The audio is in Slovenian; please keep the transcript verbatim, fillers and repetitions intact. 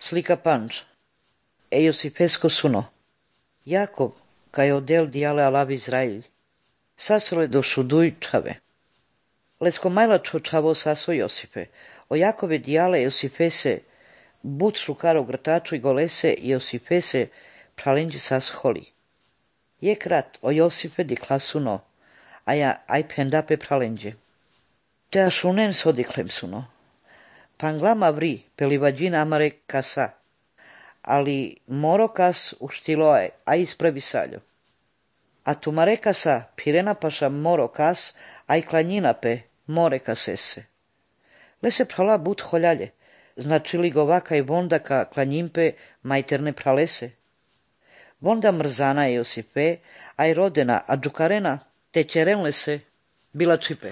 Slika panč. E Iosifesco suno. Jakob, kaj odel diale alav Izrail. Sasole do šuduj čave. Lesko majla čo čavo saso Josife. O Jakove diale Iosifese but šukaro grtaču i golese Iosifese pralenđi sas holi. Je krat o Josife di klasuno, a ja aj pendape pralenđe. Te ašunen sodiklem suno. Panglama vri pelivađin amare kasa, ali moro kas uštiloe, a ispravi saljo. A tumare kasa pirena paša moro kas, a i klanjinape more kasese. Lese prala but holjalje, znači li govaka i vonda ka klanjimpe majterne pralese. Vonda mrzana je Josife, a i rodena, a džukarena te čerenle se bila čipe.